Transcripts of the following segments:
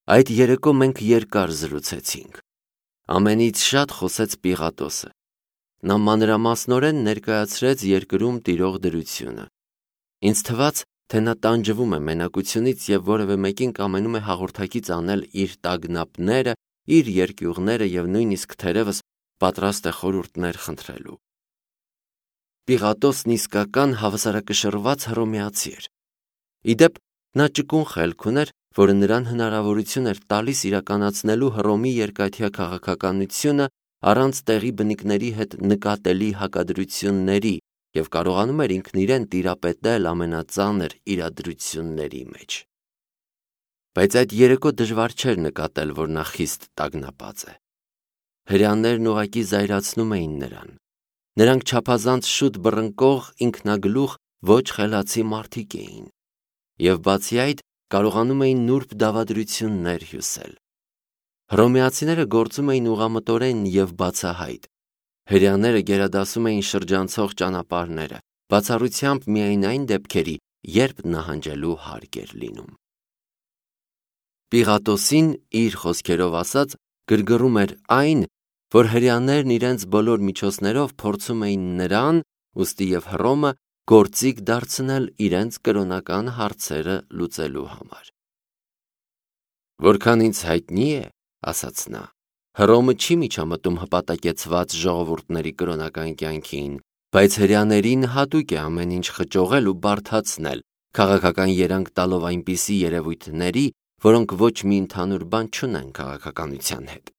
Այդ երեկո մենք երկար զրուցեցինք։ Ամենից շատ խոսեց Պիղատոսը։ Նա մանրամասնորեն ներկայացրեց երկրում տիրող դրությունը։ Ինձ թվաց, թե նա տանջվում է մենակությունից և որևէ մեկին կամենում է հաղորդակից անել իր տագնապները, իր երկյուղները և նույնիսկ թերևս պատրաստ է խորհուրդներ խնդրելու։ Պիղատոսն իսկական հավասարակշռված հռոմեացի էր։ Ի դեպ, նա ճկուն խելք ուներ, որը նրան հնարավորություն էր տալիս իրականացնելու Հռոմի երկաթյա քաղաքականությունը առանց տեղի բնիկների հետ նկատելի հակադրությունների և կարողանում էր ինքն իրեն տիրապետել ամենածանր իրադրությունների մեջ։ Բայց այդ երեկո դժվար չէր նկատել, որ նա խիստ տագնապած է։ Հրեաներն ուղղակի զայրացնում էին նրան։ Նրանք չափազանց շուտ բռնկող, ինքնագլուխ, ոչ խելացի մարդիկ էին։ Եվ բացի այդ, կարողանում էին նուրբ դավադրություններ հյուսել։ Հռոմեացիները գործում էին ուղղամտորեն և բացահայտ։ Հրեաները գերադասում էին շրջանցող ճանապարհները, բացառությամբ միայն այն դեպքերի, երբ նահանջելու հարկ էր լինում։ Պիղատոսին, իր խոսքերով ասած, գրգռում էր այն, որ հրեաներն իրենց բոլոր միջոցներով փորձում էին նրան, ուստի և Հռոմը, գործիք դարձնել իրենց կրոնական հարցերը լուծելու համար։ Որքան ինձ հայտնի է, ասաց նա, Հռոմը չի միջամտում հպատակեցված ժողովուրդների կրոնական կյանքին, բայց հրեաներին հատուկ է ամեն ինչ խճողել ու բարդացնել, քաղաքական երանգ տալով այնպիսի երևույթների, որոնք ոչ մի ընդհանուր բան չունեն քաղաքականության հետ։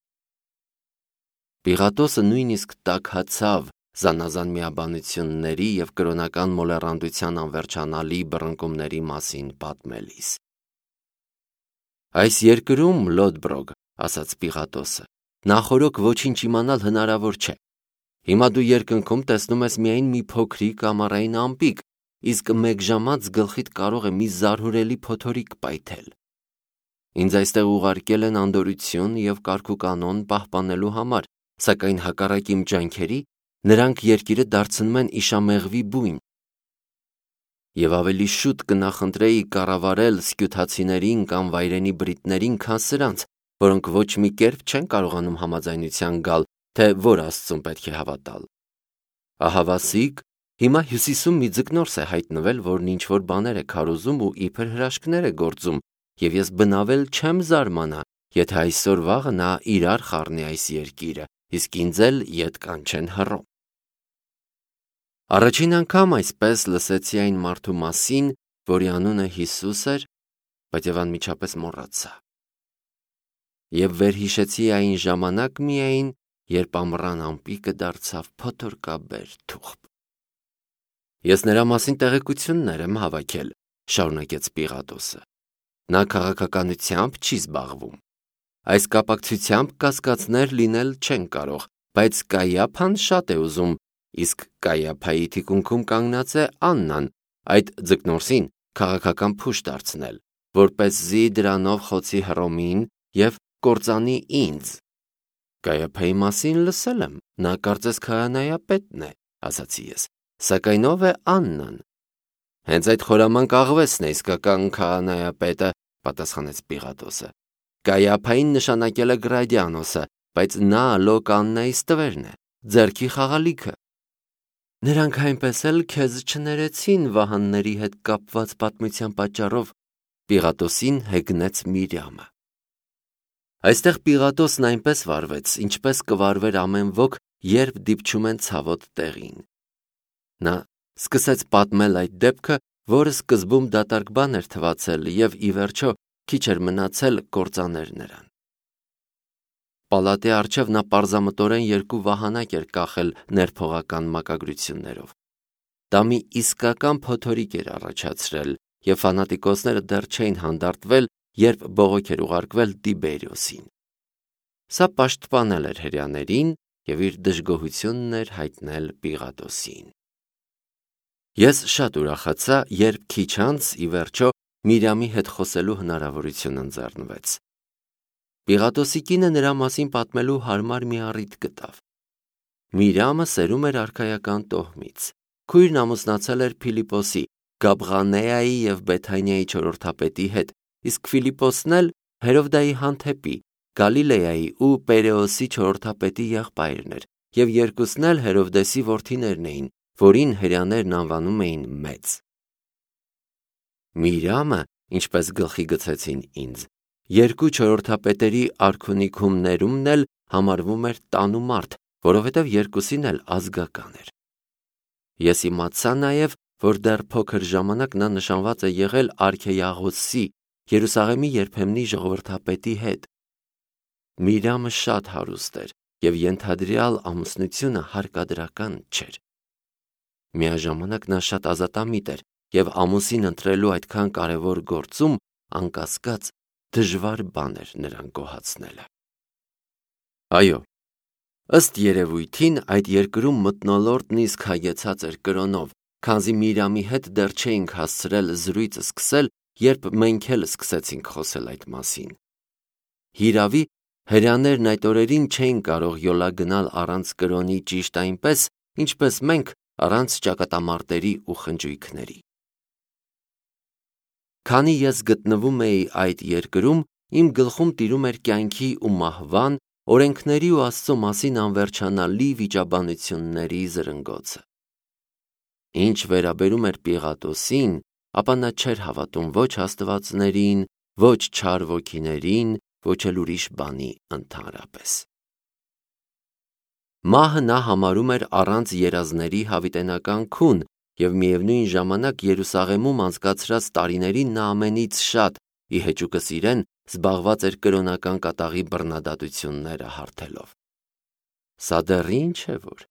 Պիղատոսը նույնիսկ տաքացավ զանազան միաբանությունների և կրոնական մոլեռանդության անվերջանալի բռնկումների մասին պատմելիս։ Այս երկրում, Լոդբրոգ, ասաց Պիղատոսը, նախօրոք ոչինչ իմանալ հնարավոր չէ։ Հիմա դու երկնքում տեսնում ես միայն մի փոքրիկ ամառային ամպիկ, իսկ մեկ ժամանց գլխիդ կարող է մի զարհուրելի փոթորիկ պայթել։ Ինձ այստեղ ուղարկել են անդորրություն և կարգուկանոն պահպանելու համար, սակայն հակառակ իմ ջանքերի, նրանք երկիրը դարձնում են իշամեղվի բույն։ Եվ ավելի շուտ կնախընտրեի կառավարել սկյութացիներին կամ վայրենի բրիտներին, քան սրանց, որոնք ոչ մի կերպ չեն կարողանում համաձայնության գալ, թե որ Աստծուն պետք է հավատալ։ Ահավասիկ, հիմա Հյուսիսում մի ձկնորս է հայտնվել, որն ինչ-որ բաներ է քարոզում ու իբր հրաշքներ է գործում, և ես բնավել չեմ զարմանա, եթե այսօր-վաղը նա իրար խառնի այս երկիրը, իսկ ինձ էլ ետ կանչեն Հռոմ։ Առաջին անգամ այսպես լսեցի այն մարդու մասին, որի անունը Հիսուս էր, բայց և անմիջապես մոռացա։ Եվ վերհիշեցի այն ժամանակ միայն, երբ ամռան ամպիկը դարձավ փոթորկաբեր թուղթ։ Ես նրա մասին տեղեկություններ եմ հավաքել, շարունակեց Պիղատոսը։ Նա քաղաքականությամբ չի զբաղվում։ Այս կապակցությամբ կասկածներ լինել չեն կարող, բայց Կայափան շատ է ուզում, իսկ Կայափայի թիկունքում կանգնած է Աննան, այդ ձկնորսին քաղաքական փուշ դարձնել, որպեսզի դրանով խոցի Հռոմին և կործանի ինձ։ Կայափայի մասին լսել եմ, նա կարծես քահանայապետն է, ասացի ես, սակայն ով է Աննան։ Հենց այդ խորամանկ աղվեսն է իսկական քահանայապետը, պատասխանեց Պիղատոսը։ Կայափային նշանակել է Գրադիանոսը, բայց նա Լոկաննայի ստվերն է, ձեռքի խաղալիքը։ Նրանք այնպես էլ քեզ չներեցին վահանների հետ կապված պատմության պատճառով, Պիղատոսին հեգնեց Միրյամը։ Այստեղ Պիղատոսն այնպես վարվեց, ինչպես կվարվեր ամեն ոք, երբ դիպչում են ցավոտ տեղին։ Նա սկսեց պատմել այդ դեպքը, որը սկզբում դատարկ բան էր թվացել և ի վերջո քիչ էր մնացել կործաներ նրան։ Պալատի առջև նա պարզամտորեն երկու վահանակ էր կախել ներփողական մակագրություններով։ Դա մի իսկական փոթորիկ էր առաջացրել, և ֆանատիկոսները դեռ չէին հանդարտվել, երբ բողոք էր ուղարկվել Տիբերիոսին։ Սա պաշտպանել էր հրեաներին և իր դժգոհությունն էր հայտնել Պիղատոսին։ Ես շատ ուրախացա, երբ քիչ անց, ի վերջո, Միրյամի հետ խոսելու հնարավորություն ընձեռնվեց։ Պիղատոսի կինը նրա մասին պատմելու հարմար մի առիթ գտավ։ Միրյամը սերում էր արքայական տոհմից։ Քույրն ամուսնացել էր Փիլիպոսի, Գաբղանեայի և Բեթանիայի չորրորդապետի հետ, իսկ Ֆիլիպոսն էլ Հերովդայի հանդեպի, Գալիլեայի ու Պերեոսի չորրորդապետի եղբայրն էր, և երկուսն էլ Հերովդեսի որդիներն էին, որին հրեաներն անվանում էին մեծ։ Միրյամը, ինչպես գլխի գցեցին ինձ, երկու չորրորդապետերի արքունիքում ներումն էլ համարվում էր տանումարդ, որովհետև երկուսին էլ ազգական էր։ Ես իմացա նաև, որ դեռ փոքր ժամանակ նա նշանված է եղել արքեյաղոսի, Երուսաղեմի երբեմնի ժողովրդապետի հետ։ Միրյամը շատ հարուստ էր, և ենթադրյալ ամուսնությունը հարկադրական չէր։ Միաժամանակ նա շատ ազատամիտ էր, և ամուսին ընտրելու այդքան կարևոր գործում, անկասկած, դժվար բան էր նրան գոհացնելը։ Այո, ըստ երևույթին այդ երկրում մթնոլորտն իսկ հագեցած էր կրոնով, քանզի Միրյամի հետ դեռ չէինք հասցրել զրույցը սկսել, երբ մենք էլ սկսեցինք խոսել այդ մասին։ Հիրավի, հրեաներն այդ օրերին չէին կարող յոլա գնալ առանց կրոնի ճիշտ այնպես, ինչպես մենք առանց ճակատամարտերի ու խնջույքների։ Քանի ես գտնվում էի այդ երկրում, իմ գլխում տիրում էր կյանքի ու մահվան, օրենքների ու Աստծո մասին անվերջանալի վիճաբանությունների զրնգոցը։ Ինչ վերաբերում էր Պիղատոսին, ապա նա չէր հավատում ոչ աստվածներին, ոչ չար ոգիներին, ոչ էլ ուրիշ բանի ընդհանրապես։ Մահը նա համարում էր առանց երազների հավիտենական քուն, և միևնույն ժամանակ Երուսաղեմում անցկացրած տարիներին նա ամենից շատ, ի հեճուկս իրեն, զբաղված էր կրոնական կատաղի բռնադատությունները հարթելով։ Սա դեռ ինչ է որ։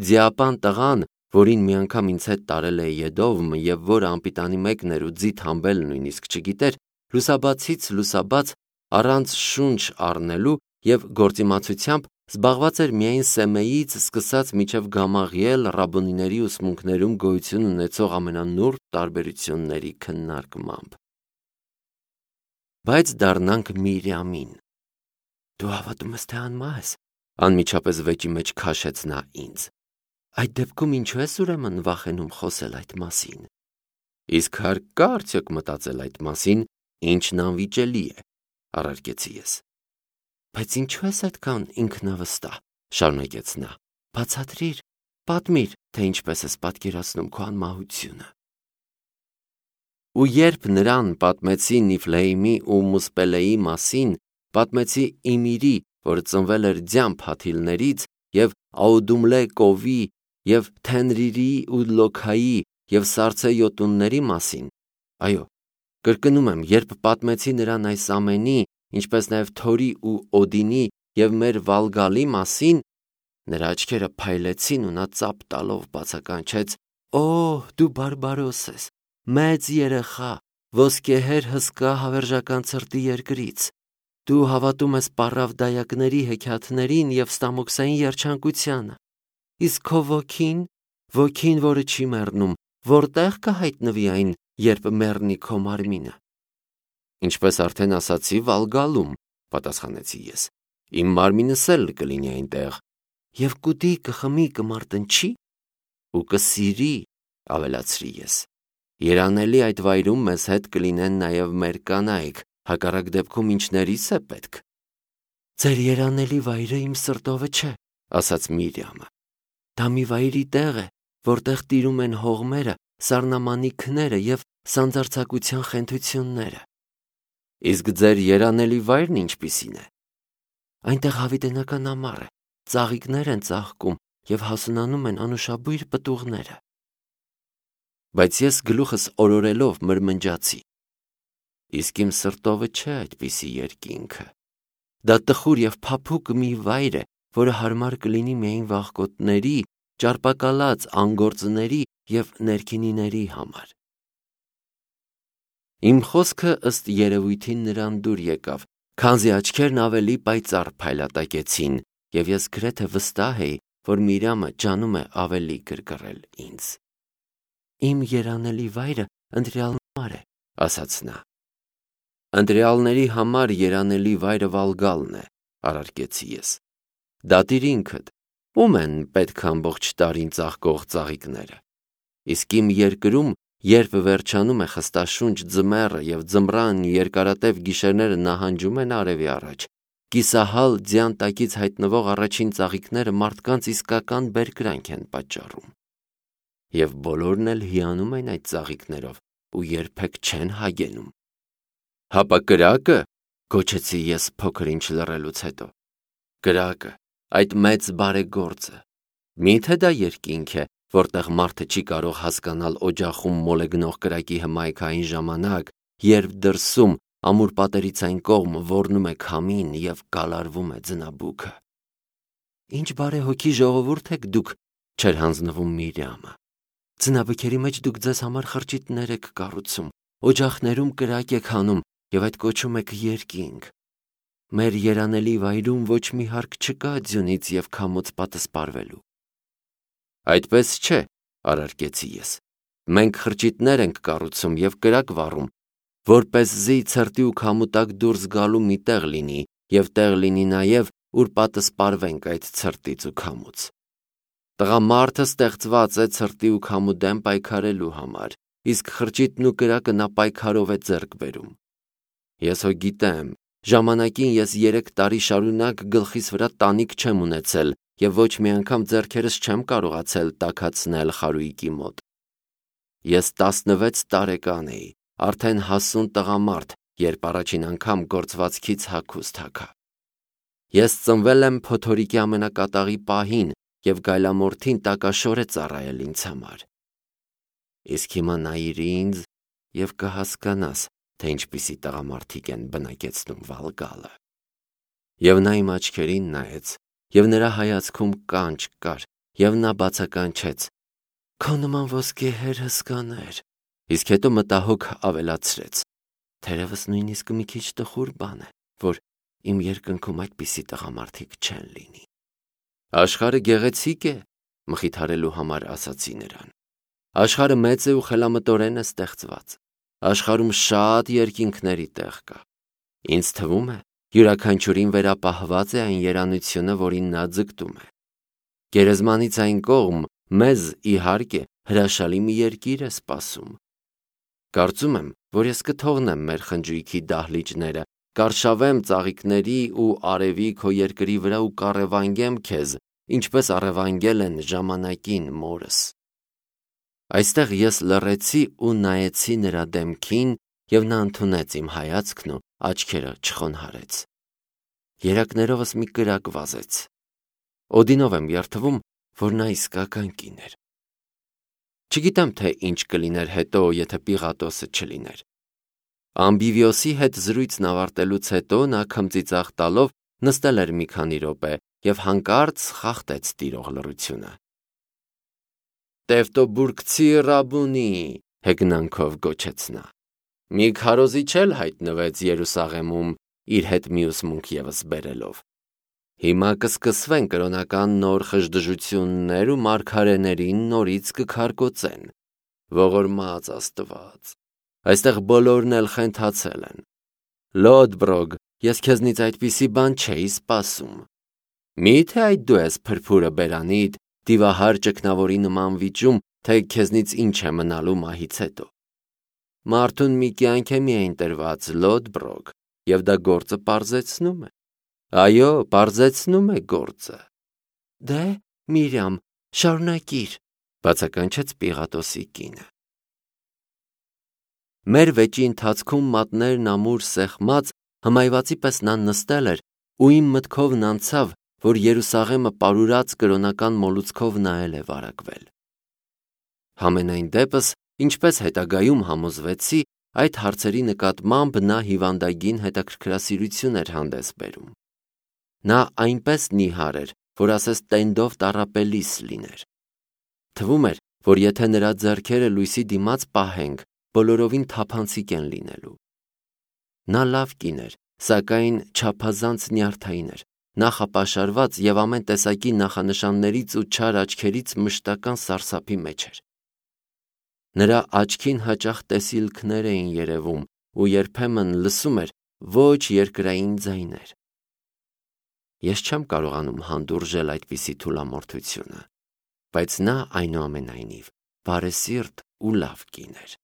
Ձիապան տղան, որին մի անգամ ինձ հետ տարել է Եդովմ և որը անպիտանի մեկն էր ու ձիթ համբել նույնիսկ չգիտեր, լուսաբացից լուսաբաց առանց շունչ առնելու և գործիմացությամբ զբաղված էր միայն Սեմեից սկսած մինչև Գամաղիել ռաբոնիների ուսմունքներում գոյություն ունեցող ամենանուրբ տարբերությունների քննարկմամբ։ Բայց դառնանք Միրյամին։ Դու հավատում ես, թե անմահ ես, անմիջապես վեճի մեջ քաշեց նա ինձ։ Այդ դեպքում ինչու ես ուրեմն վախենում խոսել այդ մասին։ Իսկ հարկ կա արդյոք մտածել այդ մասին, ինչն անվիճելի է, առարկեցի ես։ Բայց ինչու ես այդքան ինքնավստահ, շարունակեց նա, բացատրիր, պատմիր, թե ինչպես ես պատկերացնում քո անմահությունը։ Ու երբ նրան պատմեցի Նիֆլեյմի ու Մուսպելեի մասին, պատմեցի Իմիրի, որ ծնվել էր ձյան փաթիլներից, և Աուդումլե կովի, և Թենրիրի ու Լոքայի, և Սառցե յոտունների մասին, այո, կրկնում եմ, երբ պատմեցի նրան այս ամենի, ինչպես նաև Թորի ու Օդինի և մեր Վալգալի մասին, նրա աչքերը փայլեցին ու նա ծափ տալով բացականչեց. «Օ, դու բարբարոս ես, մեծ երեխա, ոսկեհեր հսկա հավերժական ցրտի երկրից, դու հավատում ես պառավ դայակների հեքիաթներին և ստամոքսային երջանկությանը, իսկ քո ոգին, որը չի մեռնում, որտե՞ղ կհայտնվի այն, երբ մեռնի քո մարմինը»։ Ինչպես արդեն ասացի, Վալգալում, պատասխանեցի ես, իմ մարմինս էլ կլինի այնտեղ, և կուտի, կխմի, կմարտնչի ու կսիրի, ավելացրի ես։ Երանելի այդ վայրում մեզ հետ կլինեն նաև մեր կանայք, հակառակ դեպքում ինչներիս է պետք։ Ձեր երանելի վայրը իմ սրտովը չէ, ասաց Միրյամը։ Դա մի վայրի տեղ է, որտեղ տիրում են հողմերը, սառնամանիքները և սանձարձակության խենթությունները։ Իսկ ձեր երանելի վայրն ինչպիսին է։ Այնտեղ հավիտենական ամառ է, ծաղիկներ են ծաղկում և հասունանում են անուշաբույր պտուղները։ Բայց ես գլուխս օրորելով մրմնջացի. իսկ իմ սրտովը չէ այդպիսի երկինքը։ Դա տխուր և փափուկ մի վայր է, որը հարմար կլինի միայն վախկոտների, ճարպակալած անգործների և ներքինիների համար։ Իմ խոսքը ըստ երևույթին նրան դուր եկավ, քանզի աչքերն ավելի պայծառ փայլատակեցին, և ես գրեթե վստահ էի, որ Միրյամը ջանում է ավելի գրգռել ինձ։ Իմ երանելի վայրը ընտրյալների համար է, ասաց նա։ Ընտրյալների համար երանելի վայրը Վալգալն է, առարկեցի ես։ Դատիր ինքդ, ում են պետք ամբողջ տարին ծաղկող ծաղիկները։ Իսկ իմ երկրում երբ վերջանում է խստաշունչ ձմեռը և ձմռան երկարատև գիշերները նահանջում են արևի առաջ, կիսահալ ձյան տակից հայտնվող առաջին ծաղիկները մարդկանց իսկական բերկրանք են պատճառում։ Եվ բոլորն էլ հիանում են այդ ծաղիկներով ու երբեք չեն հագենում։ Հապա կրակը, գոչեցի ես փոքր ինչ լռելուց հետո։ Կրակը, այդ մեծ բարեգործը, միթե դա երկինք է, որտեղ մարդը չի կարող հասկանալ օջախում մոլեգնող կրակի հմայքային ժամանակ, երբ դրսում ամուր պատերից այն կողմ ոռնում է քամին և կալարվում է ձնաբուքը։ Ինչ բարեհոգի ժողովուրդ եք դուք, չէր հանձնվում Միրյամը։ Ձնաբքերի մեջ դուք ձեզ համար խրճիթներ եք կառուցում, օջախներում կրակ եք հանում և այդ կոչում եք երկինք։ Մեր երանելի վայրում ոչ մի հարկ չկա ձյունից և քամուց պատսպարվելու։ Այդպես չէ, արարկեցի ես։ Մենք խրճիթներ ենք կառուցում և կրակ վառում, որպեսզի ցրտի ու քամու տակ դուրս գալու մի տեղ լինի և տեղ լինի նաև, ուր պատսպարվենք այդ ցրտից ու քամուց։ Տղամարդը ստեղծված է ցրտի ու քամու դեմ պայքարելու համար, իսկ խրճիթն ու կրակը նա պայքարով է ձեռք բերում։ Ես հո գիտեմ, ժամանակին ես 3 տարի շարունակ գլխիս վրա տանիք չեմ ունեցել և ոչ մի անգամ ձեռքերս չեմ կարողացել տաքացնել խարույկի մոտ։ Ես 16 տարեկան էի, արդեն հասուն տղամարդ, երբ առաջին անգամ գործվածքից հագուստ հագա։ Ես ծնվել եմ փոթորիկի ամենակատաղի պահին և գայլամորթին տակաշոր է ծառայել ինձ համար։ Իսկ հիմա նայիր ինձ և կհասկանաս, թե ինչպիսի տղամարդիկ են բնակեցնում Վալգալը։ Եվ նա իմ աչքերին նայեց, և նրա հայացքում կանչ կար, և նա բացականչեց. «Քո նման ոսկեհեր հսկաներ», իսկ հետո մտահոգ ավելացրեց. «Թերևս նույնիսկ մի քիչ տխուր բան է, որ իմ երկնքում այդպիսի տղամարդիկ չեն լինի»։ Աշխարհը գեղեցիկ է, մխիթարելու համար ասացի նրան։ Աշխարհը մեծ է ու խելամտորեն է ստեղծված։ Աշխարհում շատ երկինքների տեղ կա։ Ինձ թվում է, յուրաքանչյուրին վերապահված է այն երանությունը, որին նա ձգտում է։ Գերեզմանից այն կողմ մեզ, իհարկե, հրաշալի մի երկիր է սպասում։ Կարծում եմ, որ ես կթողնեմ մեր խնջույքի դահլիճները, կարշավեմ ծաղիկների ու արևի քո երկրի վրա ու կառևանգեմ քեզ, ինչպես առևանգել են ժամանակին մորս։ Այստեղ ես լռեցի ու նայեցի նրա դեմքին, և նա ընդունեց իմ հայացքն ու աչքերը չխոնհարեց։ Երակներովս մի կրակ վազեց։ Օդինով եմ երդվում, որ նա իսկական կին էր։ Չգիտեմ, թե ինչ կլիներ հետո, եթե Պիղատոսը չլիներ։ Ամբիվիոսի հետ զրույցն ավարտելուց հետո նա քմծիծաղ տալով նստել էր մի քանի րոպե և հանկարծ խախտեց տիրող լռությունը։ «Տևտոբուրգցի Ռաբունի», հեգնանքով գոչեց նա։ Մի քարոզիչ էլ հայտնվեց Երուսաղեմում իր հետ մյուս մունք ևս բերելով։ Հիմա կսկսվեն կրոնական նոր խժդժություններ ու մարգարեներին նորից կքարկոծեն։ Ողորմած Աստված, այստեղ բոլորն էլ խենթացել են։ Լոդբրոգ, ես քեզնից այդպիսի բան չէի սպասում։ Մի՞թե այդ դու ես փրփուրը բերանիդ, դիվահար ճգնավորի նման վիճում, թե քեզնից ինչ է մնալու մահից հետո։ Մարդուն մի կյանք է միայն տրված, Լոդբրոգ, և դա գործը պարզեցնում է։ Այո, պարզեցնում է գործը։ Դե, Միրյամ, շարունակիր, բացականչեց Պիղատոսի կինը։ Մեր վեճի ընթացքում մատներն ամուր սեղմած, հմայվածի պես նա նստել էր ու իմ մտքովն անցավ, որ Երուսաղեմը պարուրած կրոնական մոլուցքով նայել է վարակվել։ Համենայն դեպս, ինչպես հետագայում համոզվեցի, այդ հարցերի նկատմամբ նա հիվանդագին հետաքրքրասիրություն էր հանդես բերում։ Նա այնպես նիհար էր, որ ասես տենդով տառապելիս լիներ։ Թվում էր, որ եթե նրա ձեռքերը լույսի դիմաց պահենք, բոլորովին թափանցիկ են լինելու։ Նա լավ կին էր, սակայն չափազանց նյարդային էր, նախապաշարված և ամեն տեսակի նախանշաններից ու չար աչքերից մշտական սարսափի մեջ էր։ Նրա աչքին հաճախ տեսիլքներ էին երևում ու երբեմն լսում էր ոչ երկրային ձայներ։ Ես չեմ կարողանում հանդուրժել այդպիսի թուլամորթությունը, բայց նա այնուամենայնիվ բարեսիրտ ու լավ կին էր։